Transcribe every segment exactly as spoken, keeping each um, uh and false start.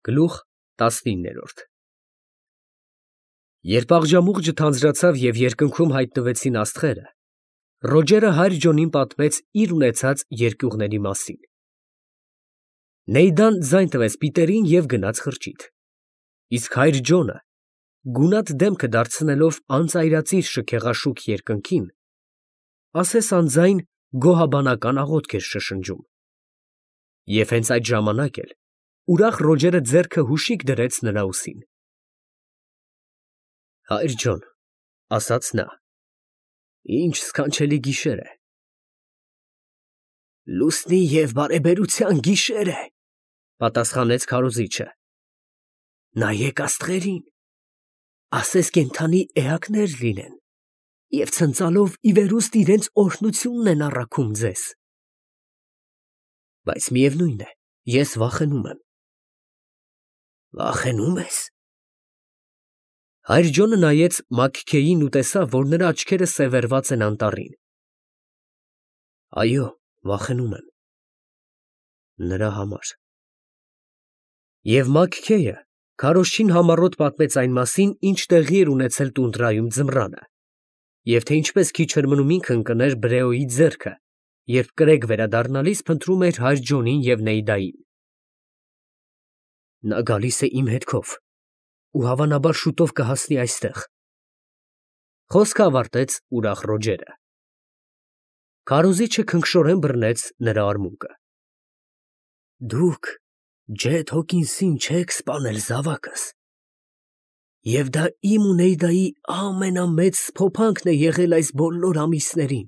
Գլուխ տասնինը Երբ աղջամուղջը թանձրացավ և երկնքում հայտնվեցին աստղերը, Ռոջերը հայր Ջոնին պատմեց իր ունեցած երկյուղների մասին։ Նեյդան ձայն տվեց Պիտերին և գնաց խրճիթ, իսկ հայր Ջոնը, գունատ դեմքը դարձնելով անծայրածիր շքեղաշուք երկնքին, ասես անձայն գոհաբանական աղոթք էր շշնջում։ Եվ հենց այդ ժամանակ էլ ուրախ Ռոջերը ձեռքը հուշիկ դրեց նրա ուսին։ ֊ Հայր Ջոն, ֊ ասաց նա, ֊ ինչ սքանչելի գիշեր է։ ֊ Լուսնի և բարեբերության գիշեր է, ֊ պատասխանեց քարոզիչը։ ֊ Նայեք աստղերին, ասես կենդանի էակներ լինեն և ցնծալով ի վերուստ իրենց օրհնությունն են առաքում ձեզ։ ֊ Բայց միևնույն է, ես վախենում եմ։ ֊ Վախենու՞մ ես։ Հայր Ջոնը նայեց Մաքքեյին ու տեսավ, որ նրա աչքերը սևեռված են անտառին։ ֊ Այո, վախենում եմ… նրա համար… Եվ Մաքքեյը քարոզչին համառոտ պատմեց այն մասին, ինչ տեղի էր ունեցել տունդրայում ձմռանը, և թե ինչպես քիչ էր մնում ինքը ընկներ Բրեոյի ձեռքը, երբ կրեկ վերադառնալիս փնտրում էր հայր Ջոնին և Նեյդային։ Նա գալիս է իմ հետքով ու հավանաբար շուտով կհասնի այստեղ, ֊ խոսքը ավարտեց ուրախ Ռոջերը։ Քարոզիչը քնքշորեն բռնեց նրա արմունկը։ ֊ Դուք Ջեթ Հոքինսին չեք սպանել, զավակս, և դա իմ ու Նեյդայի ամենամեծ սփոփանքն է եղել այս բոլոր ամիսներին։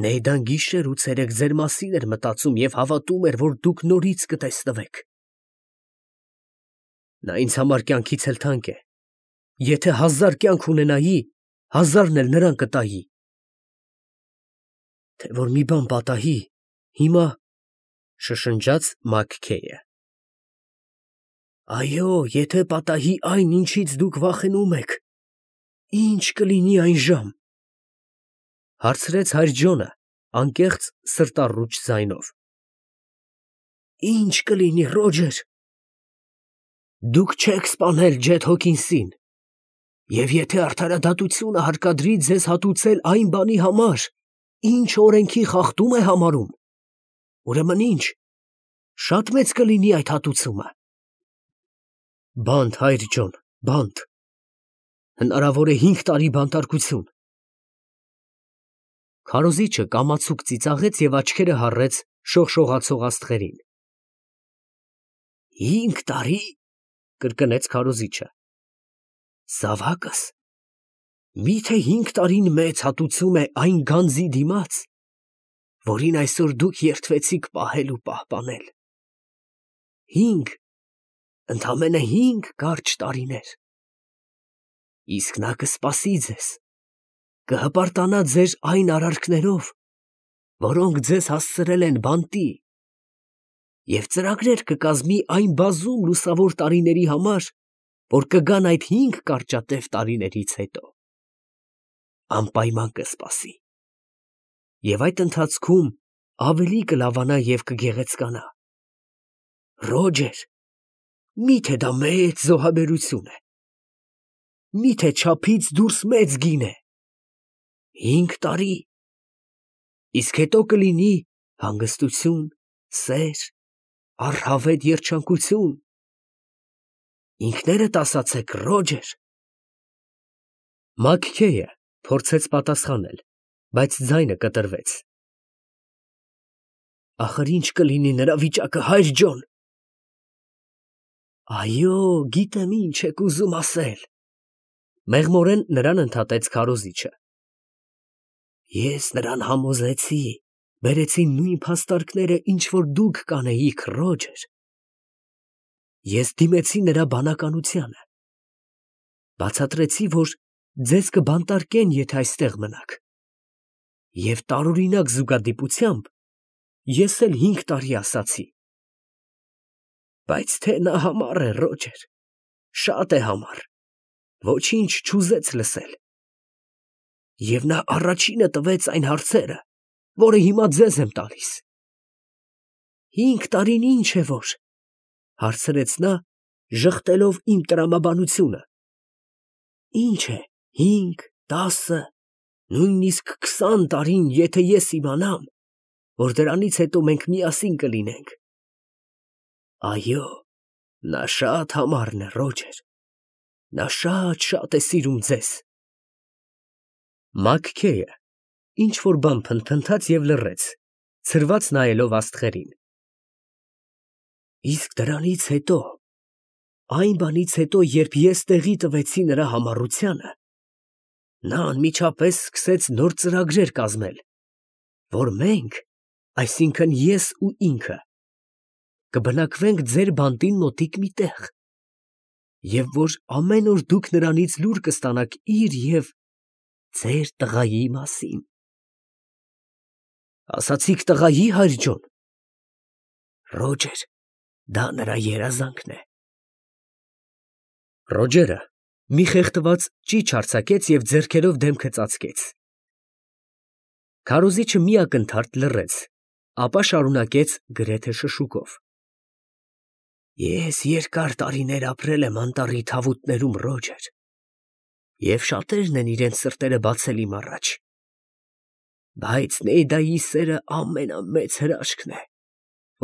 Նեյդան գիշեր ու ցերեկ ձեր մասին էր մտածում և հավատում էր, որ դուք նորից կտեսնվեք։ Նա ինձ համար կյանքից էլ թանկ է. եթե հազար կյանք ունենայի, հազարն էլ նրան կտայի։ Թե որ մի բան պատահի, հիմա… ֊ շշնջաց Մաքքեյը։ Այո, եթե պատահի այն, ինչից դուք վախենում եք, ի՞նչ կլինի այն ժամ, ֊ հարցրեց հայր Ջոնը անկեղծ սրտառուչ ձայնով։ ֊ Ի՞նչ կլինի, Ռոջեր։ Դուք չեք սպանել Ջեթ Հոքինսին, և եթե արդարադատությունը հարկադրի ձեզ հատուցել այն բանի համար, ինչ օրենքի խախտում է համարում, ուրեմն ի՞նչ, շատ մեծ կլինի այդ հատուցումը։ Բանտ, հայր Ջոն, բանտ, հնարավոր է հինգ տարի բանտարկություն։ Քարոզիչը կամացուկ ծիծաղեց և աչքերը հառեց շողշողացող աստղերին։ ֊ Հինգ տարի… ֊ կրկնեց քարոզիչը։ ֊ Զավակս, մի՞թե հինգ տարին մեծ հատուցում է այն գանձի դիմաց, որին այսօր դուք երդվեցիք պահել ու պահպանել… Հինգ… ընդամենը հինգ կարճ տարիներ… Իսկ նա կսպասի ձեզ, կհպարտանա ձեր այն արարքներով, որոնք ձեզ հասցրել են բանտի, և ծրագրեր կկազմի այն բազում լուսավոր տարիների համար, որ կգան այդ հինգ կարճատև տարիներից հետո… Անպայման կսպասի… և այդ ընթացքում ավելի կլավանա և կգեղեցկանա… Ռոջեր, մի՞թե դա մեծ զոհաբերություն է… Մի՞թե չափից դուրս մեծ գին է… Հինգ տարի… իսկ հետո կլինի հանգստություն, սեր, առհավետ երջանկություն… Ինքներդ ասացեք, Ռոջեր… Մաքքեյը փորձեց պատասխանել, բայց ձայնը կտրվեց։ Ախր ի՞նչ կլինի նրա վիճակը, հայր Ջոն։ Այո, գիտեմ ինչ եք ուզում ասել, ֊ մեղմորեն նրան ընդհատեց քարոզիչը։ Ես նրան համոզեցի, բերեցի նույն փաստարկները, ինչ որ դուք կանեիք, Ռոջեր… Ես դիմեցի նրա բանականությանը, բացատրեցի, որ ձեզ կբանտարկեն, եթե այստեղ մնաք, և տարօրինակ զուգադիպությամբ ես էլ հինգ տարի ասացի… Բայց թե նա համառ է, Ռոջեր, շատ է համառ, ոչինչ չուզեց լսել… Եվ նա առաջինը տվեց այն հարցերը, որը հիմա ձեզ եմ տալիս… Հինգ տարին ինչ է որ… Հարցրեց նա, ժխտելով իմ տրամաբանությունը։ Ինչ է, հինգ, տասը, նույնիսկ քսան տարին, եթե ես իմանամ, որ դրանից հետո մենք միասին կլինենք։ Այո, նա շատ համառ է, Ռոջեր, նա շատ֊շատ է սիրում ձեզ։ Մաքքեյը ինչ-որ բան փնթփնթաց և լռեց, ցրված նայելով աստղերին։ Իսկ դրանից հետո, այն բանից հետո, երբ ես տեղի տվեցի նրա համառությանը, նա անմիջապես սկսեց նոր ծրագրեր կազմել, որ մենք, այսինքն ես ու ինքը, կբնակվենք ձեր բանտին մոտիկ մի տեղ, և որ ամեն օր դուք նրանից լուր կստանաք իր և ձեր տղայի մասին։ Ասացիք տղայի, հայր ջան։ Ռոջեր, դա նրա երազանքն է։ Ռոջերը մի խեղդված ճիչ արձակեց և ձեռքերով դեմքը ծածկեց։ Քարոզիչը մի ակնթարթ լռեց, ապա շարունակեց գրեթե շշուկով. Ես երկար տարիներ ապրել եմ անտառի թավուտներում, Ռոջեր, և շատերն են իրենց սրտերը բացել իմ առաջ, բայց Նեյդայի սերը ամենամեծ հրաշքն է,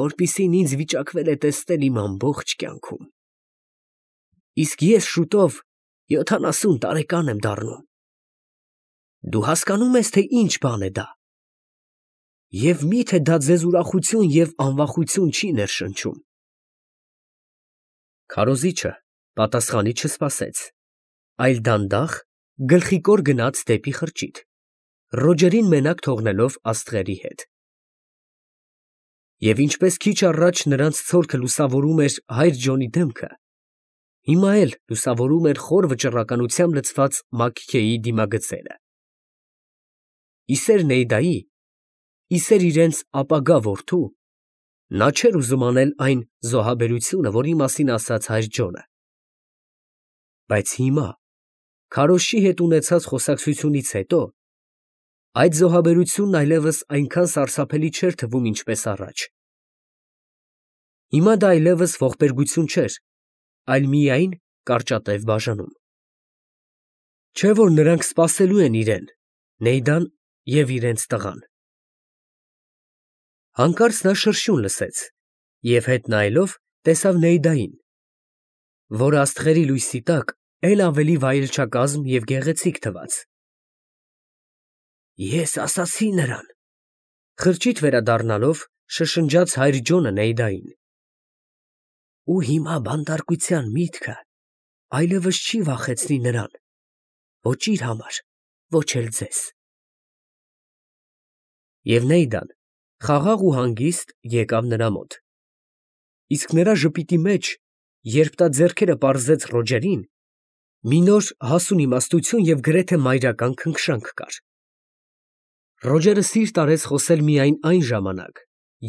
որպիսին ինձ վիճակվել է տեսնել իմ ամբողջ կյանքում։ Իսկ ես շուտով յոթանասուն տարեկան եմ դառնում։ Դու հասկանո՞ւմ ես, թե ինչ բան է դա, և մի՞թե դա ձեզ ուրախություն և անվախություն չի ներշնչում։ Քարոզիչը պատասխանի չսպասեց, այլ դանդաղ գլխիկոր գնաց դեպի խրճիթ, Ռոջերին մենակ թողնելով աստղերի հետ։ Եվ ինչպես քիչ առաջ նրանց ցորքը լուսավորում էր հայր Ջոնի դեմքը, հիմա էլ լուսավորում էր խոր վճռականությամբ լցված Մաքքեյի դիմագծերը։ Իսեր Նեյդայի, իսեր իրենց ապագա որդու, նա չէր ուզում անել այն զոհաբերությունը, որի մասին ասաց հայր Ջոնը։ Բայց հիմա, քարոզչի հետ ունեցած խոսակցությունից հետո, այդ զոհաբերությունն այլևս այնքան սարսափելի չէր թվում, ինչպես առաջ։ Հիմա դա այլևս ողբերգություն չէր, այլ միայն կարճատև բաժանում։ Չէ՞ որ նրանք սպասելու են իրեն, Նեյդան և իրենց տղան։ Հանկարծ նա շրշյուն լսեց և հետ նայելով տեսավ Նեյդային, որ աստղերի լույսի տակ էլ ավելի վայելչակազմ և գեղեցիկ թվաց։ Ես ասացի նրան, խրճիթ վերադառնալով շշնջաց հայր Ջոնը Նեյդային, ու հիմա բանտարկության միտքը այլևս չի վախեցնի նրան, ոչ իր համար, ոչ էլ ձեզ։ Եվ Նեյդան խաղաղ ու հանգիստ եկավ նրա մոտ, իսկ նրա ժպիտի մեջ, երբ նա ձեռքերը պարզեց Ռոջերին, մի նոր հասուն իմաստություն և գրեթե մայրական քնքշանք կար։ Ռոջերը սիրտ արեց խոսել միայն այն ժամանակ,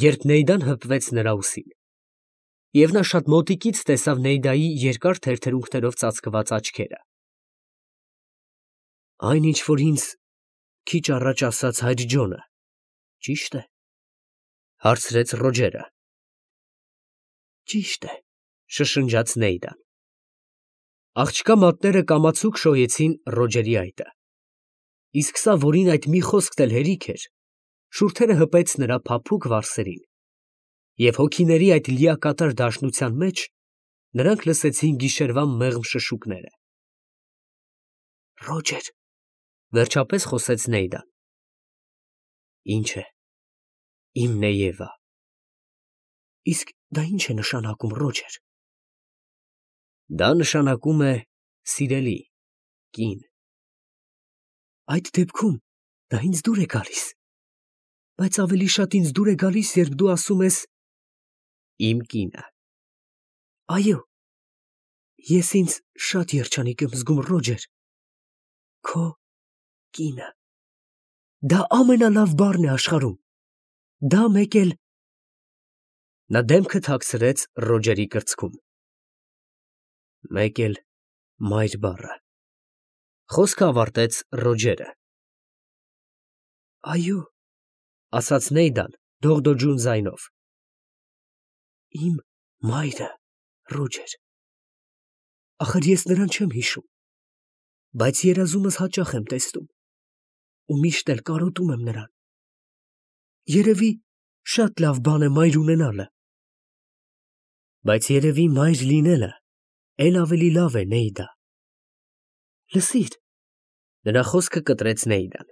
երբ Նեյդան հպվեց նրա ուսին, և նա շատ մոտիկից տեսավ Նեյդայի երկար թերթերունքներով ծածկված աչքերը։ Այն, ինչ որ ինձ քիչ առաջ ասաց հայր Ջոնը, ճի՞շտ է, ֊ հարցրեց Ռոջերը։ Ճիշտ է, ֊ շշնջաց Նեյդան։ Աղջկա մատները կամացուկ շոյեցին Ռոջերի այտը, իսկ սա, որին այդ մի խոսքն էլ հերիք էր, շուրթերը հպեց նրա փափուկ վարսերին, և հոգիների այդ լիակատար դաշնության մեջ նրանք լսեցին գիշերվա մեղմ շշուկները։ Ռոջեր, ֊ վերջապես խոսեց Նեյդան։ Ինչ է, իմ Նեյևա։ Իսկ դա ի՞նչ է նշանակում, Ռոջեր։ Դա նշանակում է սիրելի, կին։ Այդ դեպքում դա ինձ դուր է գալիս, բայց ավելի շատ ինձ դուր է գալիս, երբ դու ասում ես իմ կինը։ Այո, ես ինձ շատ երջանիկ եմ զգում, Ռոջեր, քո կինը։ Դա ամենալավ բառն է աշխարհում, դա մեկ էլ… Նա դեմքը թաքցրեց Ռոջերի կրծքում։ Մեկ էլ մայր բառը, ֊ խոսքը ավարտեց Ռոջերը։ Այո, ֊ ասաց Նեյդան դողդոջուն ձայնով, իմ մայրը։ Ռոջեր։ Ախր ես նրան չեմ հիշում, բայց երազումս հաճախ եմ տեսնում ու միշտ էլ կարոտում եմ նրան։ Երևի շատ լավ բան է մայր ունենալը։ Բայց երևի մայր լինելը էլ ավելի լավ է, Նեյդա։ Լսիր, նրա խոսքը կտրեց Նեյդան։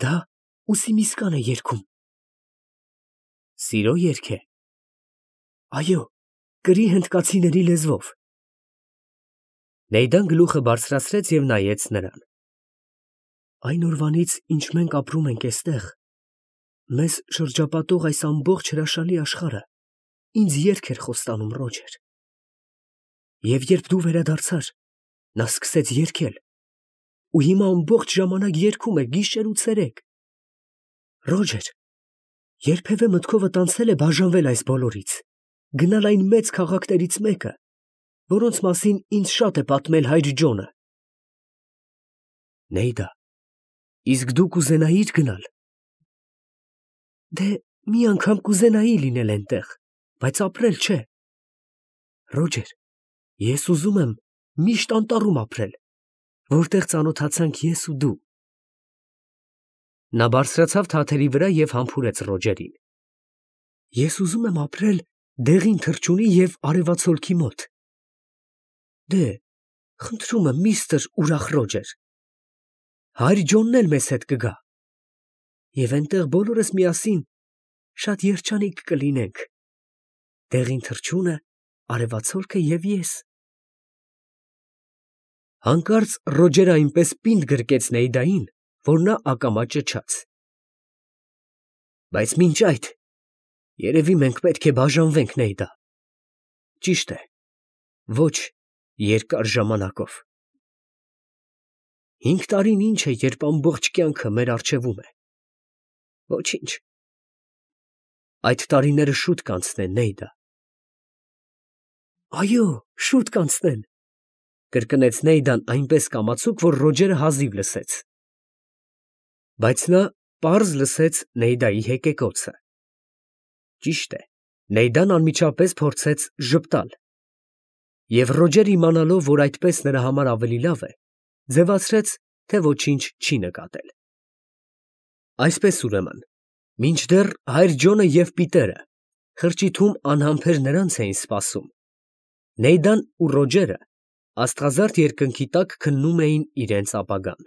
Դա ուսիմիսկան է երգում։ Սիրո երգ է։ Այո, կրի հնդկացիների լեզվով։ Նեյդան գլուխը բարձրացրեց և նայեց նրան։ Այն օրվանից, ինչ մենք ապրում ենք էստեղ, մեզ շրջապատող այս ամբողջ հրաշալի աշխարհը ինձ երգ էր խոստանում, Ռոջեր։ Եվ երբ դու վերադարձար, նա սկսեց երգել, ու հիմա ամբողջ ժամանակ երգում է գիշեր ու ցերեկ։ Ռոջեր, երբևէ մտքովդ անցե՞լ է բաժանվել այս բոլորից, գնալ այն մեծ քաղաքներից մեկը, որոնց մասին ինձ շատ է պատմել հայր Ջոնը։ Նեյդա, իսկ դու կուզենայի՞ր գնալ։ Դե, մի անգամ կուզենայի լինել այնտեղ, բայց ապրել չէ։ Ռոջեր, ես ուզում եմ միշտ անտառում ապրել, որտեղ ծանոթացանք ես ու դու։ Նա բարձրացավ թաթերի վրա և համբուրեց Ռոջերին։ Ես ուզում եմ ապրել դեղին թռչունի և արևածոլքի մոտ։ Դե, խնդրում եմ, միստր ուրախ Ռոջեր, հայր Ջոնն էլ մեզ հետ կգա, և այնտեղ բոլորս միասին շատ երջանիկ կլինենք, դեղին թռչունը, արևածոլքը և ես։ Հանկարծ Ռոջերը այնպես պինդ գրկեց Նեյդային, որ նա ակամա ճչաց։ Բայց մինչ այդ, երևի մենք պետք է բաժանվենք, Նեյդա։ Ճիշտ է, ոչ երկար ժամանակով։ Հինգ տարին ինչ է, երբ ամբողջ կյանքը մեր առջևում է։ Ոչինչ։ Այդ տարիները շուտ կանցնեն, Նեյդա։ Այո, շուտ կանցնեն, կրկնեց Նեյդան այնպես կամացուկ, որ Ռոջերը հազիվ լսեց։ Բայց նա պարզ լսեց Նեյդայի հեկեկոցը։ Ճիշտ է, Նեյդան անմիջապես փորձեց ժպտալ, և Ռոջերը իմանալով, որ այդպես նրա համար ավելի լավ է, ձևացրեց, թե ոչինչ չի նկատել։ Այսպես, ուրեմն, մինչդեռ հայր Ջոնը և Պիտերը խրճիթում անհամբեր նրանց էին սպասում, Նեյդան ու Ռոջերը աստղազարդ երկնքի տակ քննում էին իրենց ապագան։